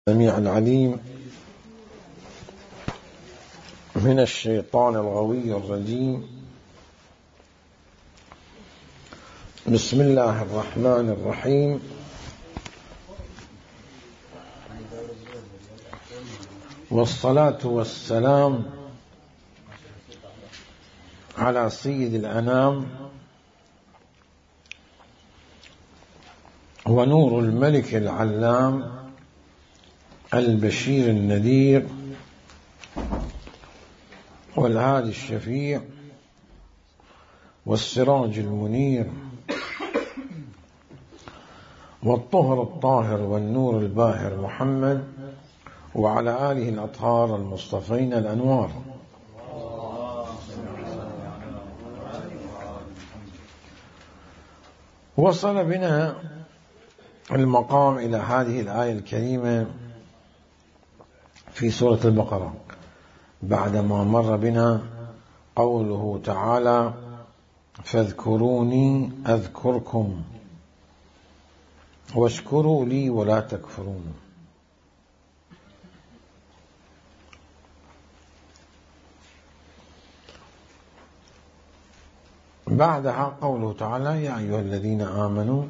السميع العليم من الشيطان الغوي الرجيم. بسم الله الرحمن الرحيم. والصلاة والسلام على سيد الأنام ونور الملك العلام البشير النذير والهادي الشفيع والسراج المنير والطهر الطاهر والنور الباهر محمد وعلى آله الأطهار المصطفين الأنوار. وصل بنا المقام إلى هذه الآية الكريمة في سورة البقرة بعدما مر بنا قوله تعالى: فاذكروني أذكركم واشكروا لي ولا تكفرون. بعدها قوله تعالى: يا أيها الذين آمنوا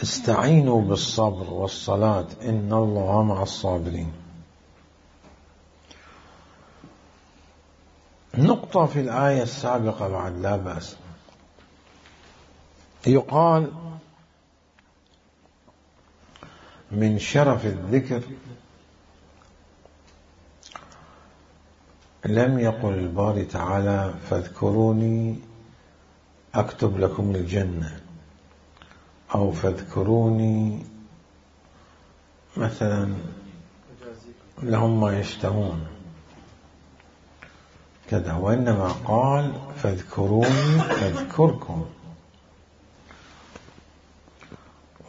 استعينوا بالصبر والصلاة إن الله مع الصابرين. نقطة في الآية السابقة بعد لا بأس. يقال من شرف الذكر لم يقل الباري تعالى: فاذكروني أكتب لكم الجنة، أو فاذكروني مثلا لهم ما يشتهون كذا، وإنما قال: فاذكروني أذكركم.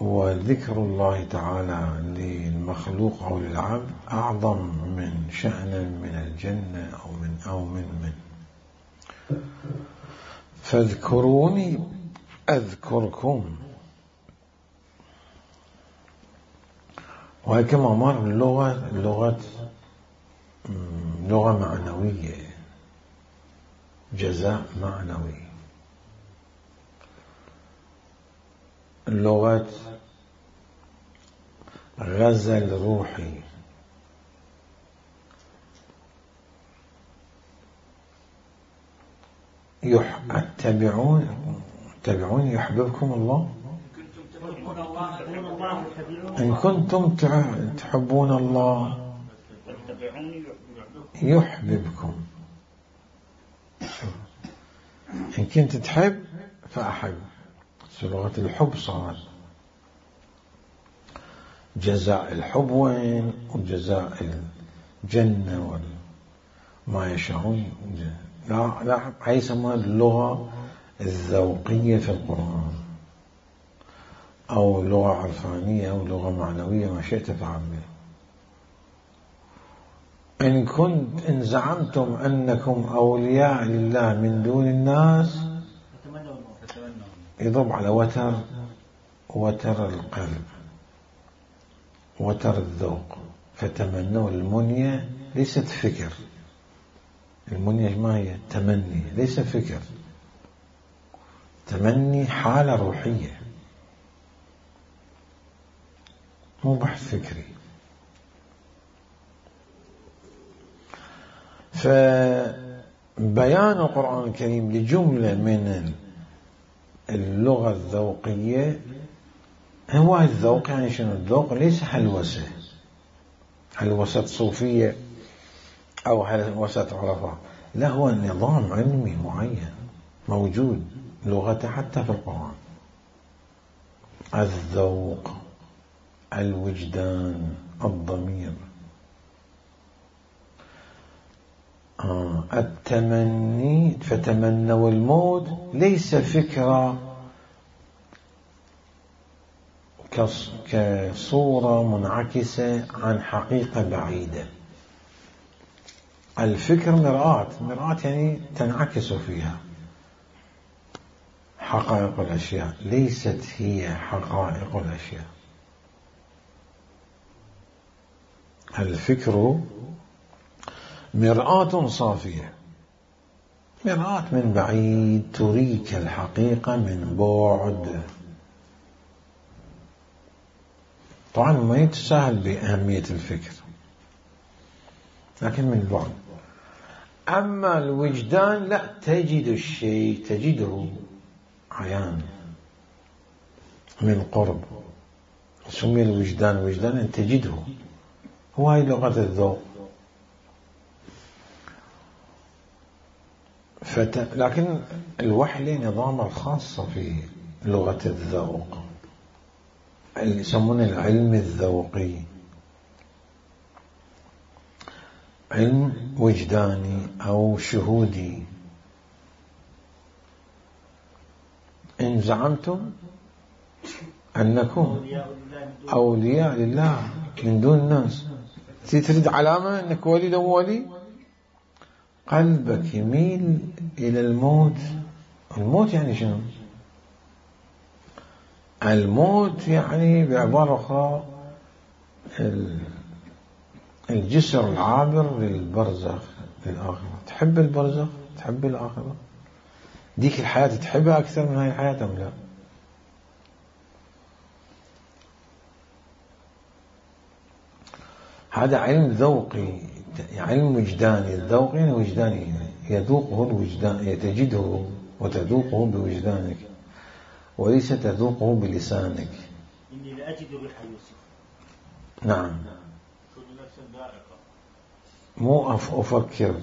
وذكر الله تعالى للمخلوق أو للعبد أعظم من شأنا من الجنة أو من فاذكروني أذكركم. وهي كما مر لغة معنوية، جزاء معنوي، لغة غزل روحي. اتبعون يحببكم الله إن كنتم تحبون الله يحببكم. إن كنت تحب فأحب. لغة الحب صار جزاء الحب وين، وجزاء الجنة وما يشاءون. لا هي يسمونها اللغة الذوقية في القرآن، أو لغة عرفانية أو لغة معنوية، ما شئت فعبر. إن زعمتم أنكم أولياء لله من دون الناس، يضرب على وتر القلب، وتر الذوق. فتمنوا المنية، ليست فكر. المنية ما هي؟ تمني، ليس فكر. تمني حالة روحية، مو بحث فكري. فبيان القرآن الكريم لجملة من اللغة الذوقية. هو الذوق يعني شنو؟ الذوق ليس هلوسة صوفية أو هلوسة عرفاء، لا، هو نظام علمي معين موجود لغته حتى في القرآن. الذوق، الوجدان، الضمير، التمني. فتمنوا الموت ليس فكرة كصورة منعكسة عن حقيقة بعيدة. الفكر مرآة يعني تنعكس فيها حقائق الأشياء، ليست هي حقائق الأشياء. الفكر مرآة صافية، مرآة من بعيد تريك الحقيقة من بعد. طبعا ما يتساهل بأهمية الفكر لكن من بعد. أما الوجدان لا، تجد الشيء، تجده عيان من قرب. سمي الوجدان وجدان أن تجده، هو هاي لغة الذوق. لكن الوحي له نظام الخاصة في لغة الذوق، اللي يسمونه العلم الذوقي، علم وجداني أو شهودي. إن زعمتم أنكم أولياء لله من دون الناس، تريد علامة أنك ولي لو ولي، قلبك يميل إلى الموت. الموت يعني شنو؟ الموت يعني بعبارة أخرى الجسر العابر للبرزخ، للآخرة. تحب البرزخ؟ تحب الآخرة؟ ديك الحياة تحبها أكثر من هاي الحياة أم لا؟ هذا علم ذوقي، علم وجداني. الذوقي يعني وجداني، يذوقه الوجدان، تجده وتذوقه بوجدانك وليس تذوقه بلسانك. إني لأجد ريح يوسف. نعم، كل نفس ذائقة. مو أفكر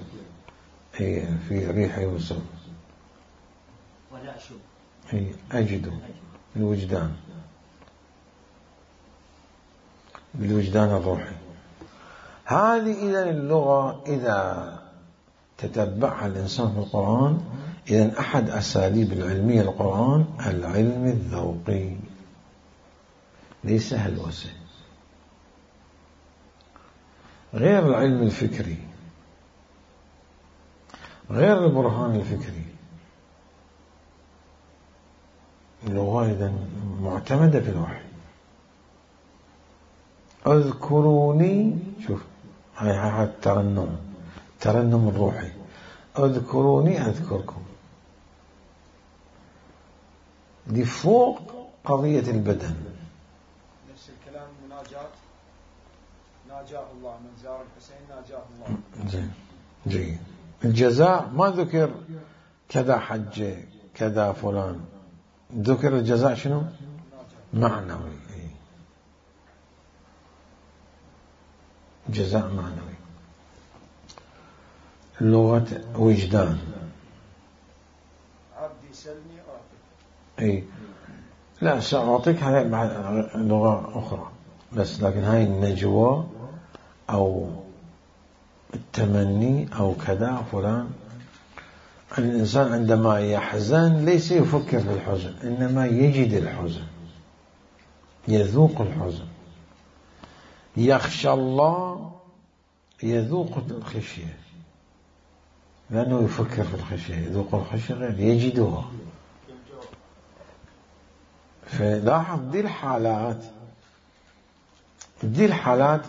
في ريح يوسف، ولا أشم، أجده الوجدان، بالوجدان الروحي. هذه إذن اللغة إذا تتبعها الإنسان في القرآن، إذن أحد أساليب العلمية للقرآن العلم الذوقي، ليس هلوسة، غير العلم الفكري، غير البرهان الفكري. اللغة إذن معتمدة في الوحي. اذكروني، شوف هاي الترنم، الترنم الروحي، اذكروني أذكركم. دي فوق قضية البدن. نفس الكلام مناجاة، ناجاه الله، من زار الحسين ناجاه الله. زين، جيد. الجزاء ما ذكر كذا حج كذا فلان، ذكر الجزاء شنو؟ معنوي، جزاء معنوي. لغة وجدان، عبدي سلني أعطيك. اي لا، سأعطيك هاي لغة أخرى بس، لكن هاي النجوى أو التمني أو كذا فلان. الإنسان عندما يحزن ليس يفكر في الحزن، إنما يجد الحزن، يذوق الحزن. يخشى الله، يذوق الخشية، لأنه يفكر في الخشية. يذوق الخشية غير يجدها. فلاحظ دي الحالات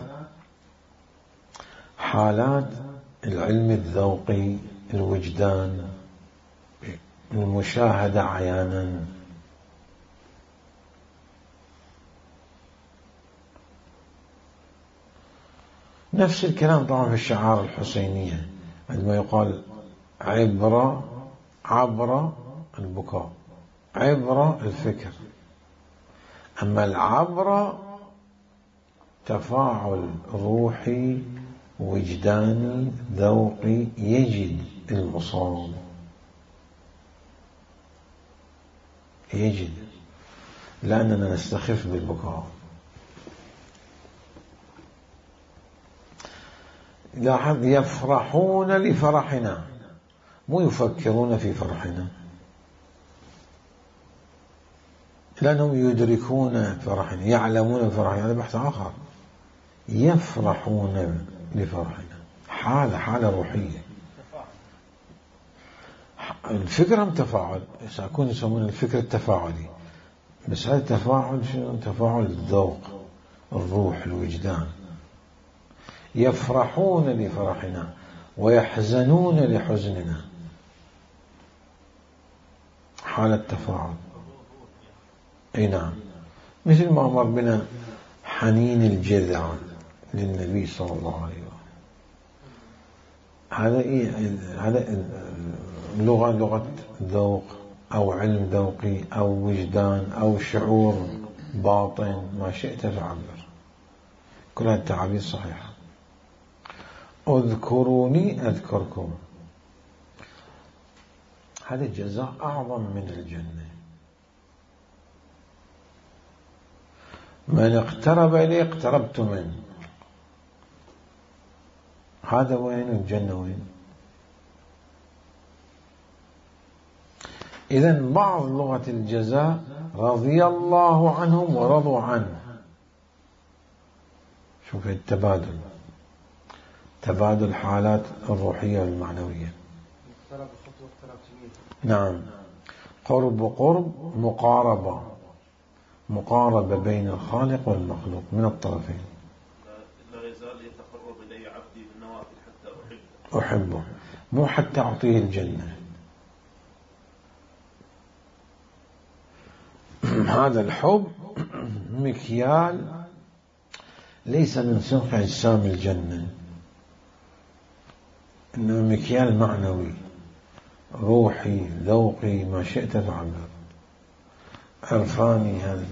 حالات العلم الذوقي، الوجدان، المشاهدة عيانا. نفس الكلام طبعا في الشعار الحسينية، عندما يقال عبر البكاء، عبر الفكر. أما العبر تفاعل روحي وجداني ذوقي، يجد المصاب، يجد، لأننا نستخف بالبكاء. لاحظ، يفرحون لفرحنا، مو يفكرون في فرحنا، لأنهم يدركون فرحنا، يعلمون فرحنا. هذا بحث آخر. يفرحون لفرحنا، حالة روحية. الفكرة هم تفاعل، سيكون يسمون الفكر التفاعلي، بس هذا التفاعل شنو؟ تفاعل الذوق، الروح، الوجدان. يفرحون لفرحنا ويحزنون لحزننا، حالة تفاعل. اي نعم، مثل ما أمر بنا حنين الجذع للنبي صلى الله عليه وسلم. هذا لغة ذوق أو علم ذوقي أو وجدان أو شعور باطن، ما شئت فعبر، كل هذه التعابير صحيحة. اذكروني أذكركم، هذا الجزاء أعظم من الجنة. من اقترب إليه اقتربت منه، هذا وين والجنة وين؟ إذن بعض لغة الجزاء رضي الله عنهم ورضوا عنه. شوف التبادل، تبادل حالات الروحية والمعنوية. نعم، قرب وقرب، مقاربة بين الخالق والمخلوق من الطرفين. لا يزال يتقرب إلي عبدي بالنوافل حتى أحبه، مو حتى أعطيه الجنة. هذا الحب مكيال ليس من صنف أجسام الجنة، إنه مكيال معنوي روحي ذوقي ما شئت تعبر، عرفاني. هذا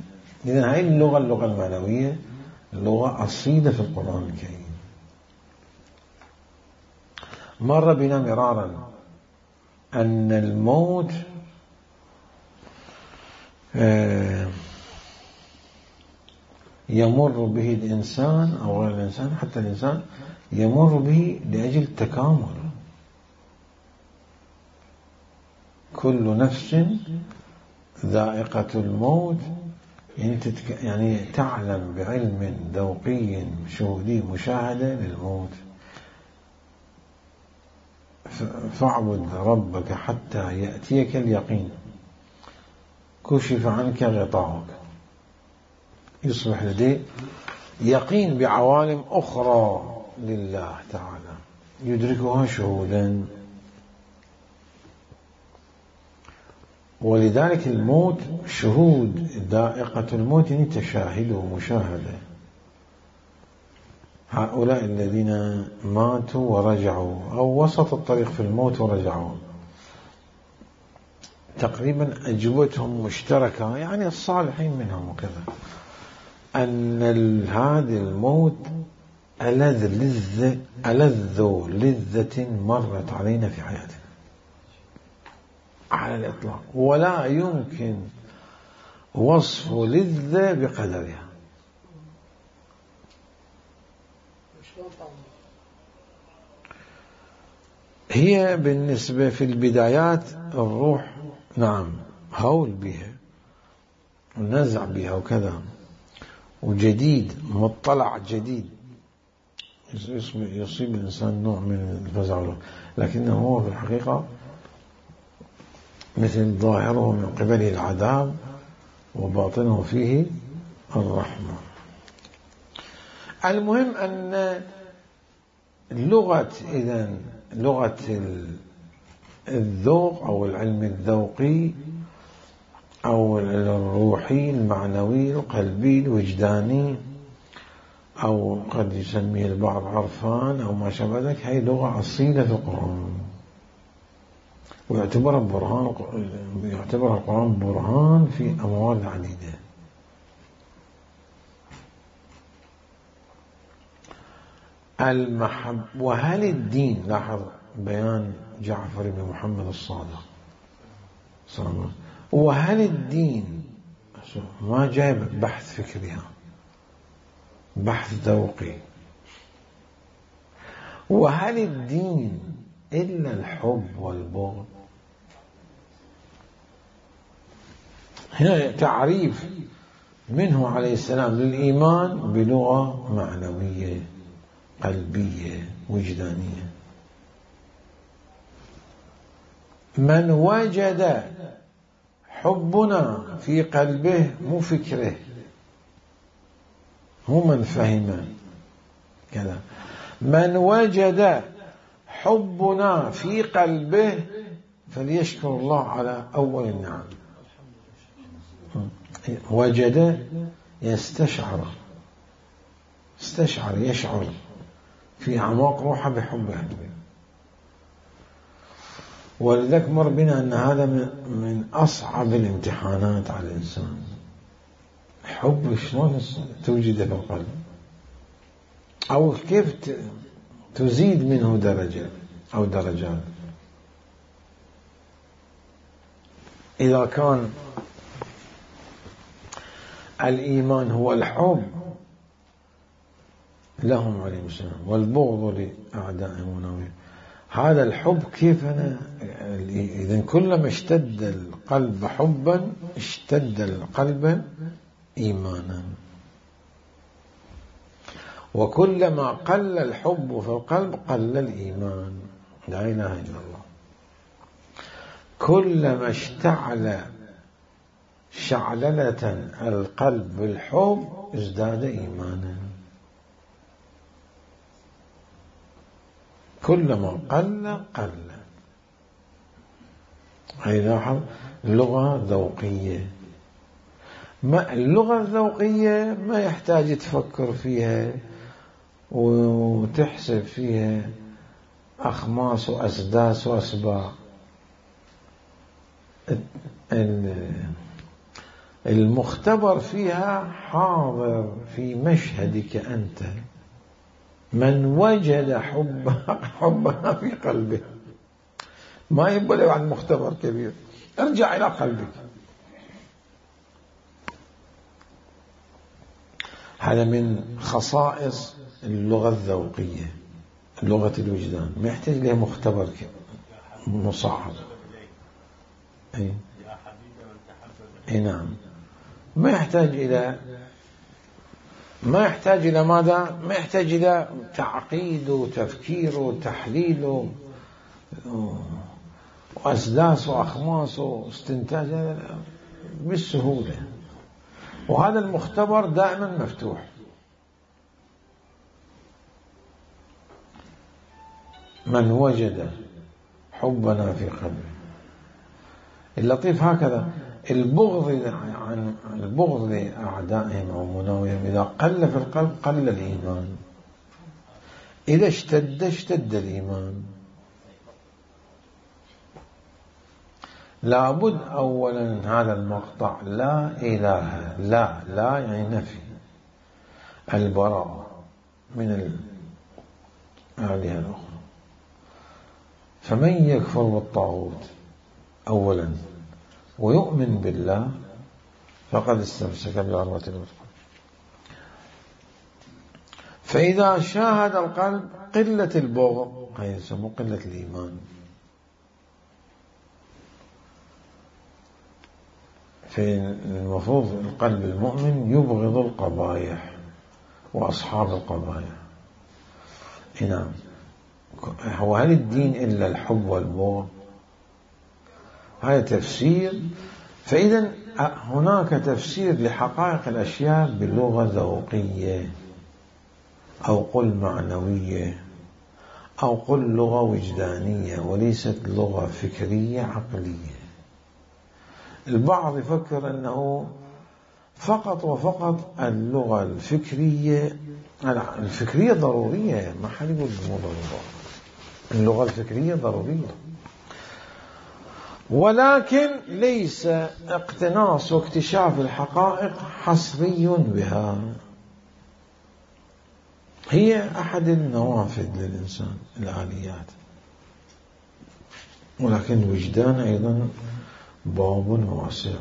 إذن هاي اللغة المعنوية لغة أصيلة في القرآن الكريم. مر بنا مرارا أن الموت يمر به الإنسان أو غير الإنسان، حتى الإنسان يمر به لأجل التكامل. كل نفس ذائقة الموت، يعني تعلم بعلم ذوقي شهودي مشاهدة للموت. فاعبد ربك حتى يأتيك اليقين، كشف عنك غطاؤك، يصبح لديه يقين بعوالم أخرى لله تعالى يدركها شهودا. ولذلك الموت شهود، ذائقة الموت يعني تشاهد ومشاهدة. هؤلاء الذين ماتوا ورجعوا أو وسط الطريق في الموت ورجعوا، تقريبا أجوبتهم مشتركة، يعني الصالحين منهم وكذا، أن هذا الموت ألذ لذة مرت علينا في حياتنا على الإطلاق، ولا يمكن وصف لذة بقدرها. هي بالنسبة في البدايات الروح نعم هول بها ونزع بها وكذا، وجديد مطلع جديد، يصيب الإنسان نوع من الفزع، لكنه هو في الحقيقة مثل ظاهره من قبله العذاب وباطنه فيه الرحمة. المهم أن لغة الذوق أو العلم الذوقي أو الروحي المعنوي القلبي الوجداني، أو قد يسميه البعض عرفان أو ما شابه ذلك، هي لغة أصيلة في القرآن، ويعتبر القرآن برهان في أموال عديدة. وهل الدين، لاحظ بيان جعفر بن محمد الصادق صلى الله عليه وسلم، وهل الدين ما جايب بحث فكري، بحث ذوقي، وهل الدين إلا الحب والبغض؟ هنا تعريف منه عليه السلام للإيمان بلغة معنوية قلبية وجدانية. من وجد حبنا في قلبه، مو فكره، مو من فهم كذا، من وجد حبنا في قلبه فليشكر الله على أول النعم. وجد يستشعر، يشعر في أعماق روحه بحبه. ولذلك مر بنا أن هذا من أصعب الامتحانات على الإنسان. حب شلون توجده في القلب، أو كيف تزيد منه درجة أو درجات. إذا كان الإيمان هو الحب لهم عليهم السلام والبغض لأعدائهم ونويهم، هذا الحب كيف إذن كلما اشتد القلب حبا اشتد القلب إيمانا، وكلما قل الحب في القلب قل الإيمان. لا إله إلا الله. كلما اشتعل شعللة القلب بالحب ازداد إيمانا، كلما قل قل. هذه لغة ذوقية. اللغة الذوقية ما يحتاج تفكر فيها وتحسب فيها أخماس وأسداس وأسباع. المختبر فيها حاضر في مشهدك أنت. من وجد حبها في قلبه، ما يبقى عن مختبر كبير، ارجع إلى قلبك. هذا من خصائص اللغة الذوقية، لغة الوجدان، ما يحتاج لها مختبر مصعب. أي نعم. ما يحتاج إلى ماذا؟ ما يحتاج إلى تعقيد وتفكير وتحليل وأسداس وأخماس واستنتاج، بالسهولة. وهذا المختبر دائما مفتوح. من وجد حبنا في قلبه. اللطيف هكذا البغض لأعدائهم أو مناوئهم إذا قل في القلب قل الإيمان، إذا اشتد الإيمان. لابد أولا هذا المقطع لا إله، لا يعني نفي، البراءة من الآلهة الأخرى. فمن يكفر بالطاغوت أولا ويؤمن بالله فقد استمسك بالعروة الوثقى. فإذا شاهد القلب قلة البغض هي يسمى قلة الإيمان. فالمفروض القلب المؤمن يبغض القبائح وأصحاب القبائح. نعم. هو هل الدين إلا الحب والبغض؟ هذا تفسير. فإذا هناك تفسير لحقائق الأشياء بلغة ذوقية، أو قل معنوية، أو قل لغة وجدانية، وليست لغة فكرية عقلية. البعض يفكر أنه فقط وفقط اللغة الفكرية ضرورية، ما حد يقول اللغة الفكرية ضرورية، ولكن ليس اقتناص واكتشاف الحقائق حصري بها. هي أحد النوافذ للإنسان، الآليات، ولكن الوجدان أيضا باب واسع.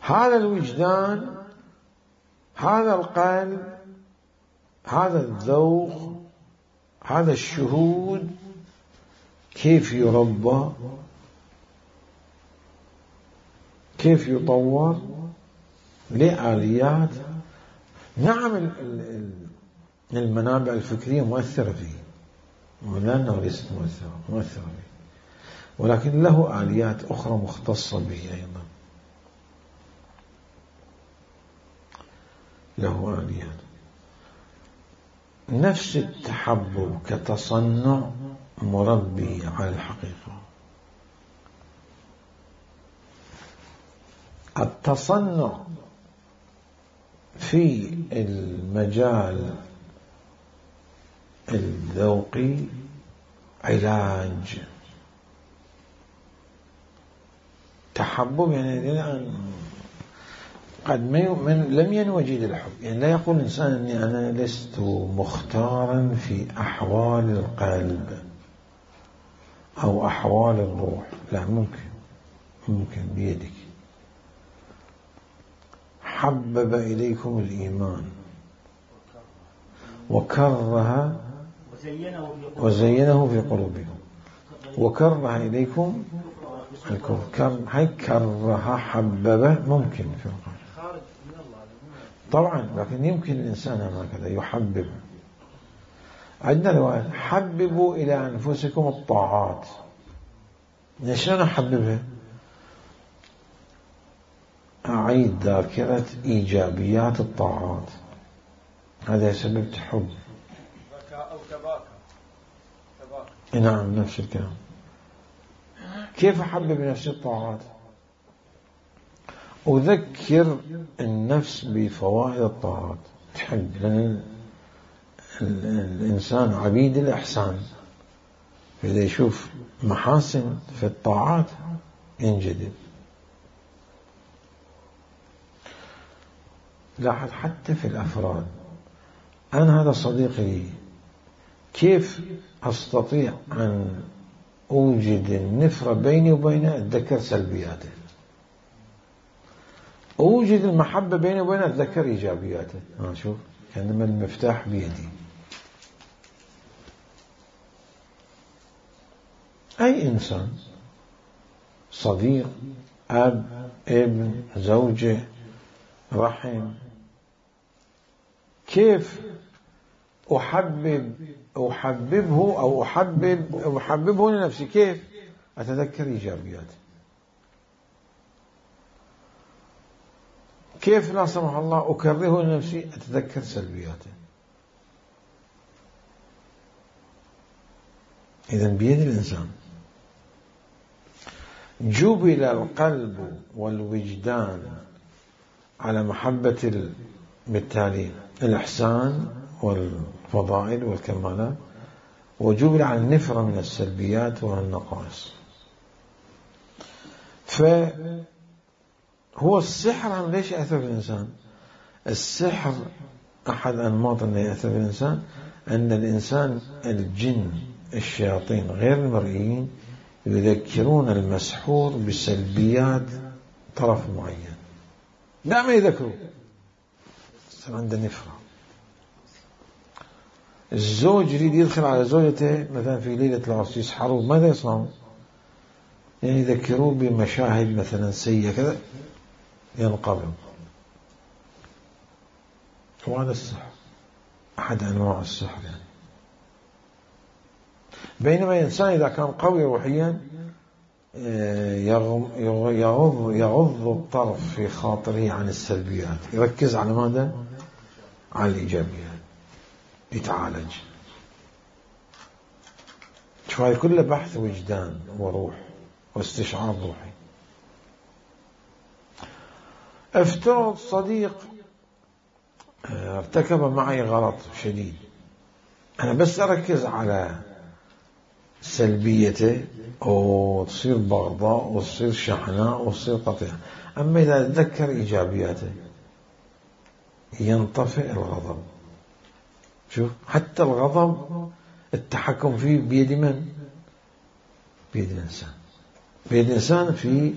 هذا الوجدان، هذا القلب، هذا الذوق، هذا الشهود كيف يربى، كيف يطور لآليات. نعم المنابع الفكرية مؤثرة فيه، ولأنه ليست مؤثرة فيه، ولكن له آليات أخرى مختصة به أيضا، له آليات. نفس التحبب كتصنع مربي على الحقيقة. التصنع في المجال الذوقي علاج. تحبب يعني قد لم ينوجد الحب، يعني لا يقول الإنسان أني أنا لست مختارا في أحوال القلب أو أحوال الروح، لا، ممكن بيدك. حبب إليكم الإيمان وزينه في قلوبكم وكره إليكم الكفر. هاي كره حبب ممكن في القلب طبعا، لكن يمكن الإنسان هكذا يحبب. عندنا رواية حببوا إلى أنفسكم الطاعات. شلون أحببها؟ أعيد ذاكرة إيجابيات الطاعات، هذا يسبب تحب. أو تباكى. نعم، نفس الكلام. كيف أحبب نفسي الطاعات؟ أذكر النفس بفوائد الطاعات، تحب، لأن الإنسان عبيد الإحسان، إذا يشوف محاسن في الطاعات ينجذب. لاحظ حتى في الأفراد، أنا هذا صديقي لي، كيف أستطيع أن أوجد النفرة بيني وبينه؟ أتذكر سلبياته. أوجد المحبة بيني وبينه؟ أتذكر إيجابياته. شوف، كأنما المفتاح بيدي. أي إنسان، صديق، أب، ابن، زوجة، رحم، كيف أحببه أو أحببه لنفسي؟ كيف أتذكر إيجابياته؟ كيف لا سمح الله أكرهه لنفسي؟ أتذكر سلبياته. إذن بيد الإنسان. جبل القلب والوجدان على محبة بالتالي الإحسان والفضائل والكمالات، وجبل على النفرة من السلبيات والنقائص. فهو السحر ليش يأثر في الإنسان؟ السحر أحد أنماط أنه يأثر في الإنسان أن الإنسان الجن الشياطين غير المرئيين يذكرون المسحور بسلبيات طرف معين، دائما يذكروا، يصير عنده نفرة. الزوج يريد يدخل على زوجته مثلا في ليلة العرس، يسحروه، ماذا يصنعون؟ يعني يذكروه بمشاهد مثلا سيئة كذا ينقبض. وهذا السحر، أحد أنواع السحر يعني. بينما الإنسان إذا كان قوي روحيا يغض الطرف في خاطره عن السلبيات، يركز على ماذا؟ على الإيجابيات، يتعالج. شوي كله بحث وجدان وروح واستشعار روحي. افترض صديق ارتكب معي غلط شديد، أنا بس أركز على سلبيته وتصير بغضاء وتصير شحناء وتصير قطيع. أما إذا أتذكر إيجابياته ينطفئ الغضب. شوف، حتى الغضب التحكم فيه بيد من؟ بيد الإنسان. بيد الإنسان في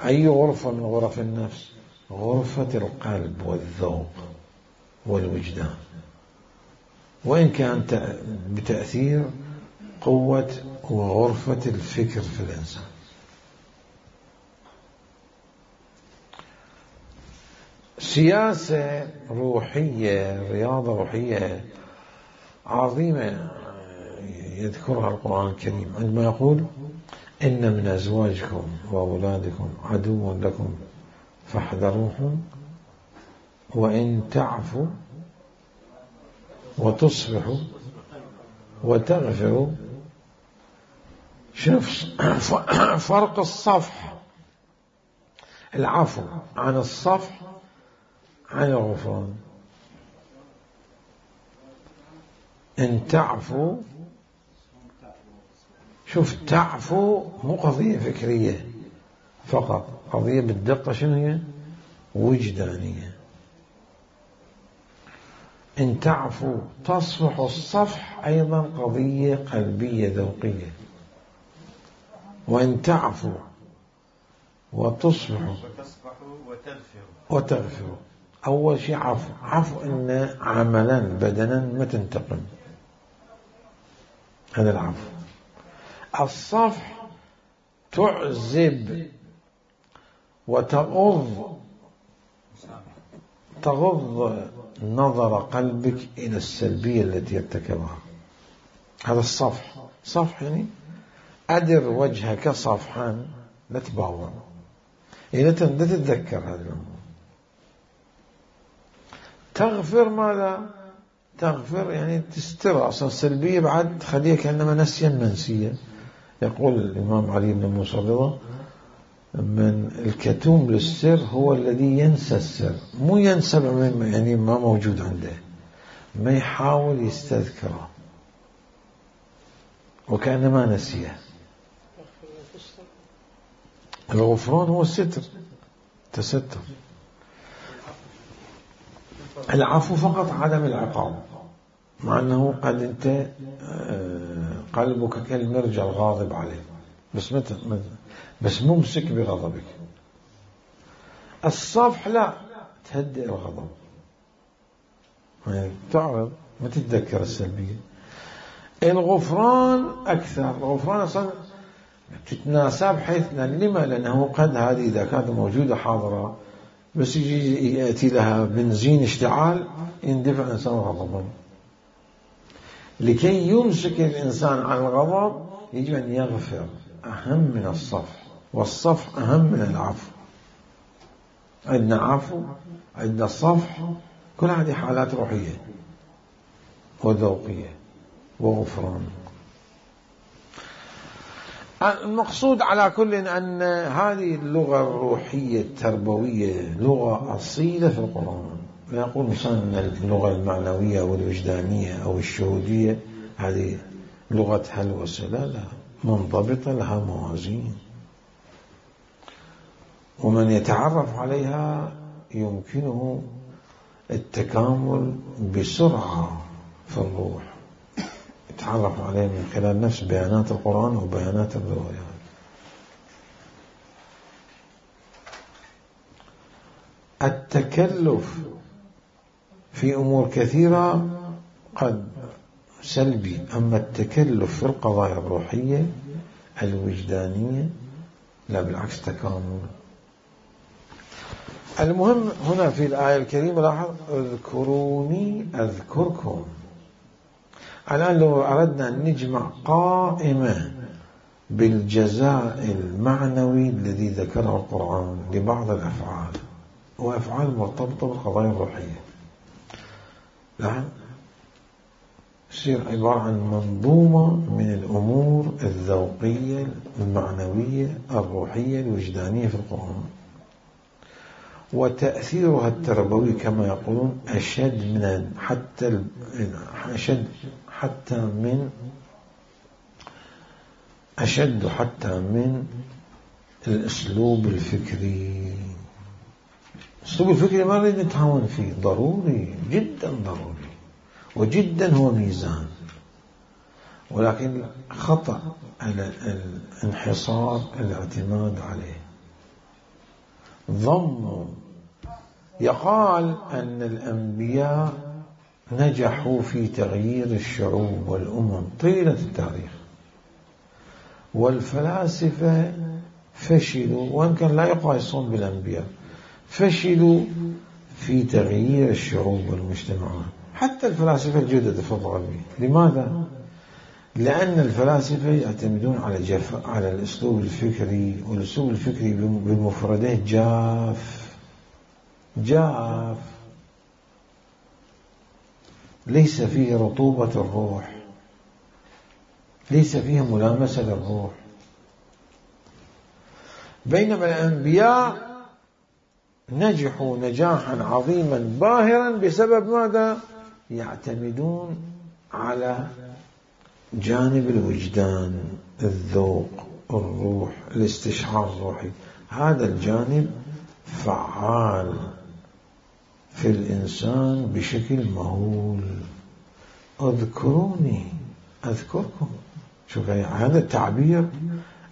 أي غرفة من غرف النفس؟ غرفة القلب والذوق والوجدان، وإن كان بتأثير قوة وغرفة الفكر في الإنسان. سياسة روحية، رياضة روحية عظيمة يذكرها القرآن الكريم عندما يقول: إن من أزواجكم وأولادكم عدو لكم فاحذروهم وإن تعفوا وتصفح وتغفر. شوف فرق الصفح العفو عن الصفح عن الغفران. إن تعفو، شوف تعفو مو قضية فكرية فقط، قضية بالدقة شنو هي؟ وجدانية. إن تعفو تصفح الصفح أيضا قضية قلبية ذوقية. وإن تعفو وتصفح وتغفر، أول شيء عفو إن عملا بدنا ما تنتقم، هذا العفو. الصفح تعزب وتغض نظر قلبك إلى السلبية التي ارتكبها، هذا الصفح. صفح يعني أدر وجهك صفحا، لا تباوع، لا تتذكر هذه الأمور. تغفر ماذا؟ تغفر يعني تستر أصلا السلبية، بعد تخليها كأنما نسيا منسيا. يقول الإمام علي بن موسى رضا: من الكتوم للسر هو الذي ينسى السر، مو ينسى يعني ما موجود عنده، ما يحاول يستذكره وكأنما نسيه. الغفران هو الستر، تستر. العفو فقط عدم العقاب، مع أنه قد أنت قلبك كالمرجل الغاضب عليه، بس ممسك بغضبك. الصفح لا، تهدئ الغضب، يعني تعرض، ما تتذكر السلبية. الغفران أكثر، الغفران أصلا تتناسى بحيث لما؟ لأنه قد هذه إذا كانت موجودة حاضرة بس يجي يأتي لها بنزين اشتعال يندفع الإنسان غضبا. لكي يمسك الإنسان عن الغضب يجب أن يغفر، أهم من الصفح، والصفح أهم من العفو. عندنا عفو، عندنا صفح، كل هذه حالات روحية وذوقية وغفران. المقصود على كل أن هذه اللغة الروحية التربوية لغة أصيلة في القرآن. لا يقول مثلا اللغة المعنوية أو الوجدانية أو الشهودية هذه لغة هلوسة، لا، منضبطة، لها موازين، ومن يتعرف عليها يمكنه التكامل بسرعة في الروح، يتعرف عليه من خلال نفس بيانات القرآن وبيانات الروايات. التكلف في أمور كثيرة قد سلبي، أما التكلف في القضايا الروحية الوجدانية لا، بالعكس تكامل. المهم هنا في الآية الكريمة لاحظ: اذكروني أذكركم. الآن لو أردنا أن نجمع قائمة بالجزاء المعنوي الذي ذكره القرآن لبعض الأفعال، وأفعال مرتبطة بالقضايا الروحية، لا يصير عبارة عن منظومة من الأمور الذوقية المعنوية الروحية الوجدانية في القرآن، وتأثيرها التربوي كما يقولون أشد من حتى من الأسلوب الفكري. الأسلوب الفكري ما نريد نتهاون فيه، ضروري جدا، ضروري وجدا، هو ميزان، ولكن خطأ على الانحصار الاعتماد عليه. يقال أن الأنبياء نجحوا في تغيير الشعوب والأمم طيلة التاريخ، والفلاسفة فشلوا، وإن كان لا يقايسون بالأنبياء، فشلوا في تغيير الشعوب والمجتمعات، حتى الفلاسفة الجدد في الغربية. لماذا؟ لأن الفلاسفة يعتمدون على الأسلوب الفكري، والأسلوب الفكري بالمفردات جاف. ليس فيه رطوبة الروح، ليس فيه ملامسة للروح. بينما الأنبياء نجحوا نجاحا عظيما باهرا بسبب ماذا؟ يعتمدون على جانب الوجدان، الذوق، الروح، الاستشعار الروحي. هذا الجانب فعال في الإنسان بشكل مهول. اذكروني أذكركم. شوف هذا التعبير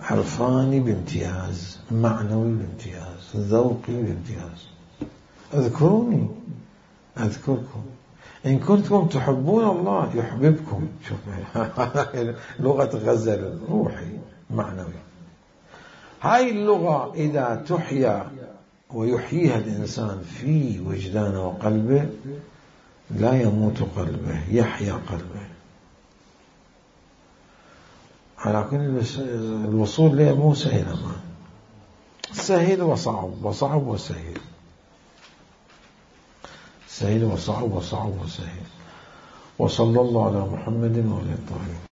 عرفاني بامتياز، معنوي بامتياز، ذوقي بامتياز. اذكروني أذكركم، إن كنتم تحبون الله يحببكم. شوف لغة غزل روحي معنوي. هاي اللغة إذا تحيا ويحييها الإنسان في وجدانه وقلبه لا يموت قلبه، يحيا قلبه. على كل الوصول له مو سهل، أمان سهل وصعب، وصعب وسهل، سهل وصعب وصعب وسهل. وصلى الله على محمد وعلى آله.